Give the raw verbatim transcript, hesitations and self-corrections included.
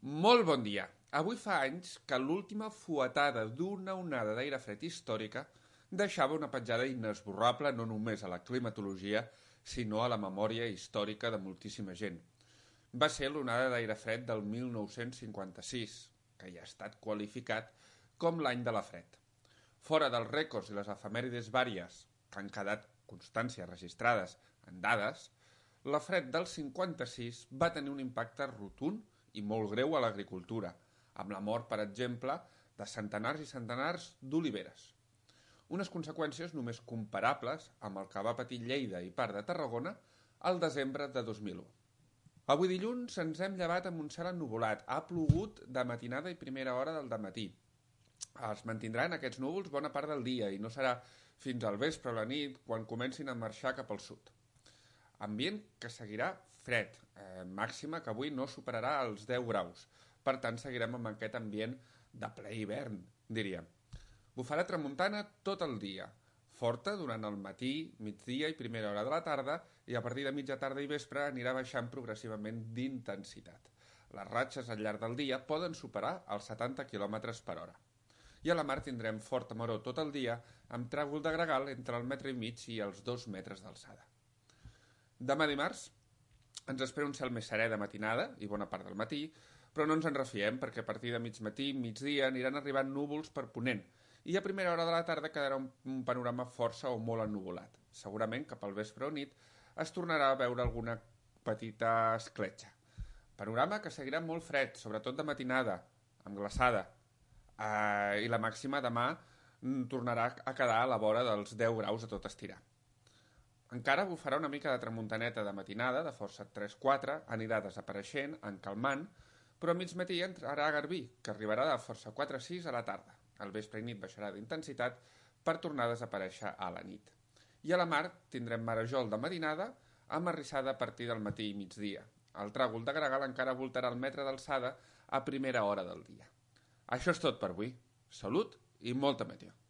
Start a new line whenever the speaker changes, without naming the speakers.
Molt bon dia. Avui fa anys que l'última fuetada d'una onada d'aire fred històrica deixava una petjada inesborrable no només a la climatologia, sinó a la memòria històrica de moltíssima gent. Va ser l'onada d'aire fred del mil nou-cents cinquanta-sis, que ja ha estat qualificat com l'any de la fred. Fora dels rècords i les efemèrides vàries, que han quedat constàncies registrades en dades, la fred del cinquanta-sis va tenir un impacte rotund i molt greu a l'agricultura, amb la mort, per exemple, de centenars i centenars d'oliveres. Unes conseqüències només comparables amb el que va patir Lleida i part de Tarragona al desembre de dos mil u. Avui dilluns ens hem llevat amb un cel ennuvolat. Ha plogut de matinada i primera hora del dematí. Es mantindran aquests núvols bona part del dia i no serà fins al vespre o la nit quan comencin a marxar cap al sud. Ambient que seguirà fred, eh, màxima que avui no superarà els deu graus. Per tant, seguirem amb aquest ambient de ple hivern, diríem. Bufarà tramuntana tot el dia, forta durant el matí, migdia i primera hora de la tarda, i a partir de mitja tarda i vespre anirà baixant progressivament d'intensitat. Les ratxes al llarg del dia poden superar els setanta quilòmetres per hora. I a la mar tindrem forta maror tot el dia, amb tràgol de gregal entre el metre i mig i els dos metres d'alçada. Demà dimarts ens espera un cel més serè de matinada i bona part del matí, però no ens en refiem perquè a partir de mig matí i migdia aniran arribant núvols per ponent i a primera hora de la tarda quedarà un, un panorama força o molt ennuvolat. Segurament cap al vespre o nit es tornarà a veure alguna petita escletxa. Panorama que seguirà molt fred, sobretot de matinada, amb glaçada, eh, i la màxima demà tornarà a quedar a la vora dels deu graus a tot estirar. Encara bufarà una mica de tramuntaneta de matinada, de força tres quatre, anirà desapareixent, encalmant, però a mig matí entrarà garbí, que arribarà de força quatre sis a la tarda. Al vespre i nit baixarà d'intensitat per tornar a desaparèixer a la nit. I a la mar tindrem marejol de matinada amb arrissada a partir del matí i migdia. El tràgol de gregal encara voltarà el metre d'alçada a primera hora del dia. Això és tot per avui. Salut i molta meteo.